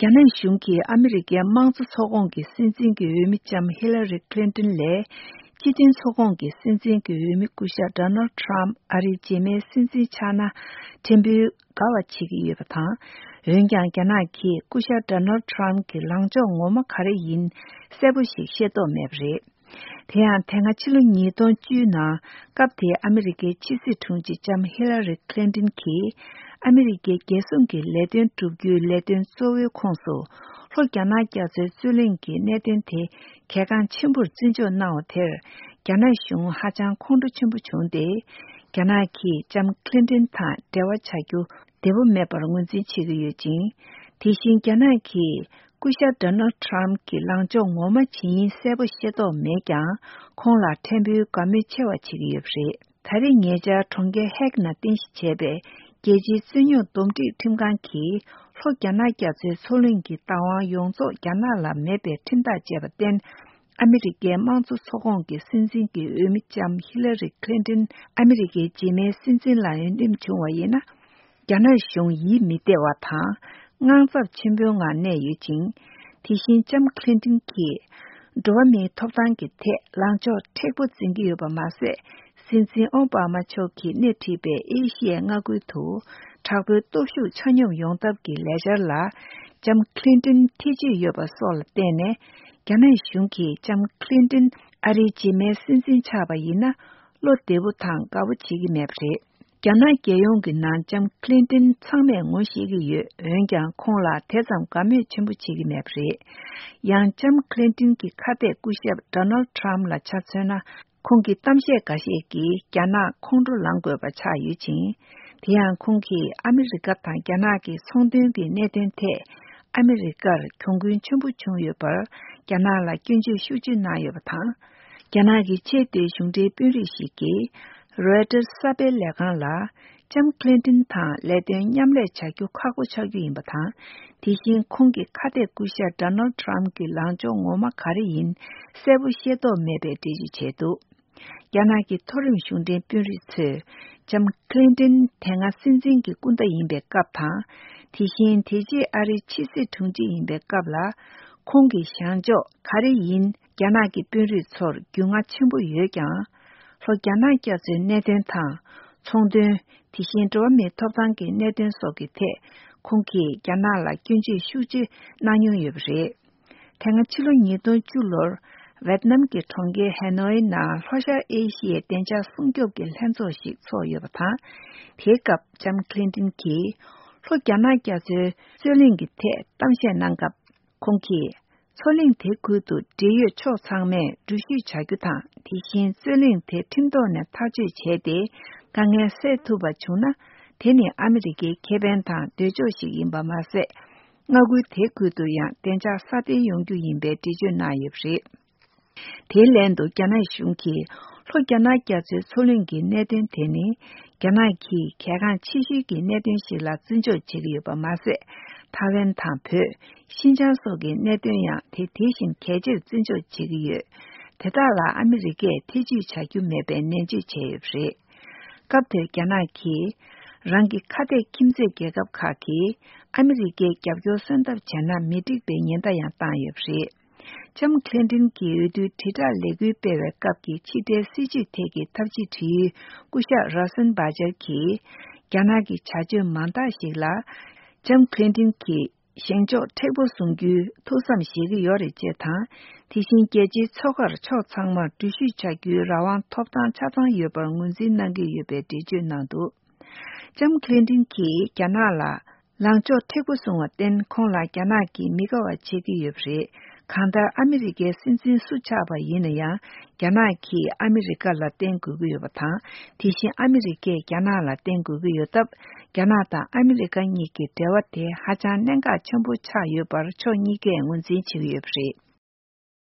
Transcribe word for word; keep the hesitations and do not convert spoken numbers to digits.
རྒྱ་ནག་གཞུང་གིས་ཨ་མི་རི་ཀའི་དམངས་གཙོ་ཚོགས་ཁོངས་ཀྱི་སྲིད་འཛིན་གྱི་འོས་མི་ལྕམ་ཧི་ལ་རི་ཁི་ལིན་ཏོན་ལས། སྤྱི་མཐུན་ཚོགས་ཁོངས་ཀྱི་སྲིད་འཛིན་གྱི་འོས་མི་སྐུ་ཞབས་ཌོ་ནལ་ཌི་ཊརམ་ཕི་ཨ་རིའི་རྗེས་མའི་སྲིད་འཛིན་ཆགས་ན་ཕྲན་བུ་དགའ་བ་བྱེད་ཀྱི་ཡོད་པ་དང་། འོན་ཀྱང་རྒྱ་ནག་གིས་སྐུ་ཞབས་ཌོ་ནལ་ཌི་ཊརམ་གྱི་ལངས་ཕྱོགས་ངོ་མ་ག་རེ་ཡིན་གསལ་པོ་ཞིག་ཤེས་རྟོགས་མེད་པ་རེད། དེ་ཡང་དེ་སྔ་ཕྱི་ལོ་ཉིས་སྟོང་བཅུ་ནང་སྐབས་དེའི་ཨ་མི་རི་ཀའི་ཕྱི་སྲིད་དྲུང་ཆེ་ལྕམ་ཧི་ལ་རི་ཁི་ལིན་ཏོན་གྱིས་ཨ་མི་རི་ཀའི་རྒྱལ་སྲུང་གི་ལས་དོན་བསྒྲུབ་རྒྱུའི་ལས་དོན་གཙོ་བོའི་ཁོངས་སུ་ལྷོ་རྒྱ་ནག་རྒྱ་མཚོའི་རྩོད་གླེང་གི་གནད་དོན་དེ་གལ་འགངས་ཆེན་པོར་བརྩི་འཇོག་གནང་བ་དེར་རྒྱ་ནག་གཞུང་ཧ་ཅང་ཁོང་ཁྲོ་ཆེན་པོ་བྱུང་སྟེ། རྒྱ་ནག་གིས་ལྕམ་ཁི་ལིན་ཏོན་དང་འབྲེལ་བ་བྱ་རྒྱུ་བདེ་པོ་མེད་པར་ངོས་འཛིན་བྱེད་ཀྱི་ཡོད་ཅིང་། དེ་བཞིན་རྒྱ་ནག་གིས་སྐུ་ཞབས་ཌོ་ནལ་ཌི་ཊརམ་གྱི་ལངས་ཕྱོགས་ངོ་མ་ཇི་ཡིན་གསལ་པོ་ཤེས་རྟོགས་མེད་ཀྱང་། ཁོང་ལ་ཕྲན་བུའི་དགའ་མོས་ཆེ་བ་བྱེད་ཀྱི་ཡོད་པ་རེད། ད་རེས་ཉེ་ཆར་གྲོང་ཁྱེར་ཧེག་ནང་རྟེན་གཞི་བྱས་པའི་རྒྱལ་སྤྱིའི་རྩོད་རྙོག་འདུམ་འགྲིག་ཁྲིམས་ཁང་གིས་ལྷོ་རྒྱ་ནག་རྒྱ་མཚོའི་མཚོ་གླིང་གི་བདག་དབང་ཡོངས་རྫོགས་རྒྱ་ནག་ལ་མེད་པའི་ཁྲིམས་ཐག་བཅད་པར་བརྟེན། ཨ་མི་རི་ཀའི་དམངས་གཙོ་ཚོགས་ཁོངས་ཀྱི་སྲིད་འཛིན་གྱི་འོས་མི་ལྕམ་ཧི་ལ་རི་ཁི་ལིན་ཏོན་ཨ་མི་རི་ཀའི་རྗེས་མའི་སྲིད་འཛིན་ལ་འོས་འདེམས་བྱུང་བ་ཡིན་ན། རྒྱ་ནག་གཞུང་ཡིད་མི་བདེ་བ་དང་དངངས་འཚབ་ཆེན་པོའི་ངང་གནས་ཡོད་ཅིང་། དེ་བཞིན་ལྕམ་ཁི་ལིན་ཏོན་གྱིས་འགྲོ་བ་མིའི་ཐོབ་ཐང་གི་ཐད་ལངས་ཕྱོགས་མཁྲེགས་པོ་འཛིན་གྱི་ཡོད་པ་མ་ཟད། སྲིད་འཛིན་ཨོ་བྷ་མ་མཆོག་གིས་སྣེ་ཁྲིད་པའི་ཨེ་ཤི་ཡའི་མངའ་ཁུལ་དུ་དྲག་པོའི་སྟོབས་ཤུགས་ཆ་སྙོམས་ཡོང་ཐབས་ཀྱི་ལས་འཆར་ལ་ལྕམ་ཁི་ལིན་ཏོན་ཐེ་བྱུས་ཡོད་པ་སོགས་ལ་བརྟེན་ནས། རྒྱ་ནག་གཞུང་གིས་ལྕམ་ཁི་ལིན་ཏོན་ཨ་རིའི་རྗེས་མའི་སྲིད་འཛིན་ཆགས་པ་ཡིན་ན། བློ་བདེ་པོ་དང་དགའ་པོ་བྱེད་ཀྱི་མེད་པ་རེད། རྒྱ་ནག་རྒྱལ་ཡོངས་ཀྱི་ནང་ལྕམ་ཁི་ལིན་ཏོན་ཚང་མས་ངོ་ཤེས་ཀྱི་ཡོད། འོན་ཀྱང་ཁོང་ལ་དེ་ཙམ་དགའ་མོས་ཆེན་པོ་བྱེད་ཀྱི་མེད་པ་རེད། ཡང་ལྕམ་ཁི་ལིན་ཏོན་གྱི་ཁ་གཏད་སྐུ་ཞབས་ཌོ་ནལ་ཌི་ཊརམ་ཕི་ལ་ཆ་མཚོན་ན། ཁོང་གི་གཏམ་བཤད་འགའ་ཤས་ཀྱིས་རྒྱ་ནག་ཁོང་ཁྲོ་ལངས་དགོས་པ་ཆགས་ཡོད་ཅིང་། དེ་ཡང་ཁོང་གིས་ཨ་མི་རི་ཀ་དང་རྒྱ་ནག་གི་ཚོང་དོན་གྱི་གནད་དོན་ཐད་ཨ་མི་རི་ཀར་གྱོང་གུན་ཆེན་པོ་བྱུང་ཡོད་པར་རྒྱ་ནག་ལ་སྐྱོན་བརྗོད་ཤུགས་ཆེ་གནང་ཡོད་པ་དང་། རྒྱ་ནག་གི་ཆེས་མཐོའི་གཞུང་འབྲེལ་དཔོན་རིགས་ཤིག་གིས་རོའི་ཊར་གསར་སྤེལ་ལས་ཁང་ལ། ལྕམ་ཁི་ལིན་ཏོན་དང་ལས་དོན་མཉམ་ལས་བྱ་རྒྱུ་ཁག་པོ་ཆགས་རྒྱུ་ཡིན་པ་དང་། དེ་བཞིན་ཁོང་གི་ཁ་གཏད་སྐུ་ཞབས་ཌོ་ནལ་ཌི་ཊརམ་ཕི་གྱི་ལངས་ཕྱོགས་ངོ་མ་ག་རེ་ཡིན་གསལ་པོ་ཤེས་རྟོགས་མེད་པའི་འགྲེལ་བརྗོད་བྱས་འདུག་རྒྱ་ནག་གི་མཐོ་རིམ་གཞུང་འབྲེལ་དཔོན་རིགས་ཚོས་ལྕམ་ཁི་ལིན་ཏོན་དེ་སྔ་སྲིད་འཛིན་གྱི་སྐུ་ཟླ་ཡིན་པའི་སྐབས་དང་། དེ་བཞིན་དེ་རྗེས་ཨ་རིའི་ཕྱི་སྲིད་དྲུང་ཆེ་ཡིན་པའི་སྐབས་ལ། ཁོང་གི་བཞེངས་ཕྱོགས་ག་རེ་ཡིན་རྒྱ་ནག་གི་དཔོན་རིགས་ཚོར་རྒྱུས་མངའ་ཆེན་པོ་ཡོད་ཀྱང་། ལྷོ་རྒྱ་ནག་རྒྱ་མཚོའི་གནད་དོན་དང་། ཚོང་དོན། དེ་བཞིན་འགྲོ་བ་མིའི་ཐོབ་ཐང་གི་གནད་དོན་སོགས་ཀྱི་ཐད། ཁོང་གིས་རྒྱ་ནག་ལ་སྐྱོན་བརྗོད་ཤུགས་ཆེ་གནང་མྱོང་ཡོད་པ་རེད། དེ་སྔ་ཕྱི་ལོ་ཉིས་སྟོང་བཅུ་ལོར་ཝེད་ནམ་གྱི་གྲོང་ཁྱེར་ཧེ་ནོའི་ནང་ལྷོ་ཤར་ཨེ་ཤི་ཡའི་བདེ་འཇགས་སྲུང་སྐྱོབ་ཀྱི་ལྷན་ཚོགས་ཤིག་ཚོགས་ཡོད་པ་དང་། དེའི་སྐབས་ལྕམ་ཁི་ལིན་ཏོན་གྱིས་ལྷོ་རྒྱ་ནག་རྒྱ་མཚོའི་རྩོད་གླེང་གི་ཐད་གཏམ་བཤད་གནང་སྐབས། ཁོང་གིས། མཚོ་གླིང་དེ་ཁུལ་དུ་འབྲེལ་ཡོད་ཕྱོགས་ཚང་མས་འགྲུལ་བཞུད་བྱ་རྒྱུ་དང་། དེ་བཞིན་རྩོད་གླེང་དེ་ཁྲིམས་ཐོག་ནས་ཐག་གཅོད་བྱས་ཏེ། དཀའ་ངལ་སེལ་ཐུབ་པ་བྱུང་ན། དེ་ནི་ཨ་མི་རི་ཀའི་ཁེ་ཕན་དང་འདོད་ཕྱོགས་ཤིག་ཡིན་པ་མ་ཟད། མངའ་ཁུལ་དེ་ཁུལ་དུ་ཡང་བདེ་འཇགས་སྲ་བརྟན་ཡོང་རྒྱུ་ཡིན་པའི་འགྲེལ་བརྗོད་གནང་ཡོད་པ་རེད། དེའི་ལན་དུ་རྒྱ་ནག་གཞུང་གིས་ལྷོ་རྒྱ་ནག་རྒྱ་མཚོའི་མཚོ་གླིང་གི་གནད་དོན་དེ་ནི། རྒྱ་ནག་གིས་གལ་འགངས་ཆེ་ཤོས་ཀྱི་གནད་དོན་ཞིག་ལ་བརྩི་འཇོག་བྱེད་ཀྱི་ཡོད་པ་མ་ཟད། ཐའེ་ཝན་དང་བོད། ཤིན་ཅང་སོགས་ཀྱི་གནད་དོན་ཡང་དེ་དེ་བཞིན་གལ་ཆེར་བརྩི་འཇོག་བྱེད་ཀྱི་ཡོད། དེ་དག་ལ་ཨ་མི་རི་ཀས་ཐེ་བྱུས་བྱ་རྒྱུ་མེད་པའི་ནན་བརྗོད་བྱས་ཡོད་པ་རེད། སྐབས་དེར་རྒྱ་ནག་གིས། རང་གི་ཁ་གཏད་ཁྱིམ་མཚེས་རྒྱལ་ཁབ་ཁག་གིས་ཨ་མི་རི་ཀའི་རྒྱབ་སྐྱོར་གསོན་ཐབས་བྱས་ན་མི་འགྲིག་པའི་ཉེན་བརྡ་ཡང་བཏང་ཡོད་པ་རེད། ལྕམ་ཁི་ལིན་ཏོན་གྱིས་འོས་བསྡུའི་དྲིལ་བསྒྲགས་ལས་འགུལ་སྤེལ་བའི་སྐབས་ཀྱི་ཕྱི་དྲིལ་སྲིད་བྱུས་ཐད་ཀྱི་ཐབས་ཇུས་དྲི་ཡུལ་སྐུ་ཞབས་རོ་སན་བྷ་ཇར་གྱིས། རྒྱ་ནག་གི་བྱ་སྤྱོད་མང་དག་ཞིག་ལ། ལྕམ་ཁི་ལིན་ཏོན་གྱི་བཞེངས་ཕྱོགས་མཁྲེགས་པོ་བཟུང་རྒྱུའི་ཐུགས་བསམ་བཞེས་ཀྱི་ཡོད་རེད་ཅེས་དང་། དེ་བཞིན་རྒྱལ་སྤྱིའི་མཚོ་ཁར་ཕྱོགས་ཚང་མར་འགྲུལ་བཞུད་བྱ་རྒྱུའི་རང་དབང་ཐོབ་ཐང་ཆ་ཚང་ཡོད་པར་ངོས་འཛིན་གནང་གི་ཡོད་པའི་འགྲེལ་བརྗོད་གནང་འདུག་ལྕམ་ཁི་ལིན་ཏོན་གྱིས་རྒྱ་ནག་ལ། ལངས་ཕྱོགས་མཁྲེགས་པོ་བཟུང་བར་བརྟེན། ཁོང་ལ་རྒྱ་ནག་གིས་མི་དགའ་བ་བྱེད་ཀྱི་ཡོད་པ་རེད། གང་ལྟར་ཨ་མི་རི་ཀའི་སྲིད་འཛིན་སུ་ཆགས་པ་ཡིན་ན་ཡང་། རྒྱ་ནག་གིས་ཨ་མི་རི་ཀ་ལ་བརྟེན་དགོས་ཀྱི་ཡོད་པ་དང་། དེ་བཞིན་ཨ་མི་རི་ཀས་རྒྱ་ནག་ལ་བརྟེན་དགོས་ཀྱི་ཡོད་སྟབས། རྒྱ་ནག་དང་ཨ་མི་རི་ཀ་གཉིས་ཀྱི་འབྲེལ་བ་དེ་ཧ་ཅང་གནད་འགག་ཆེན་པོ་ཆགས་ཡོད་པར་ཕྱོགས་གཉིས་ཀས་ངོས་འཛིན་བྱེད་ཀྱི་ཡོད་པ་རེད།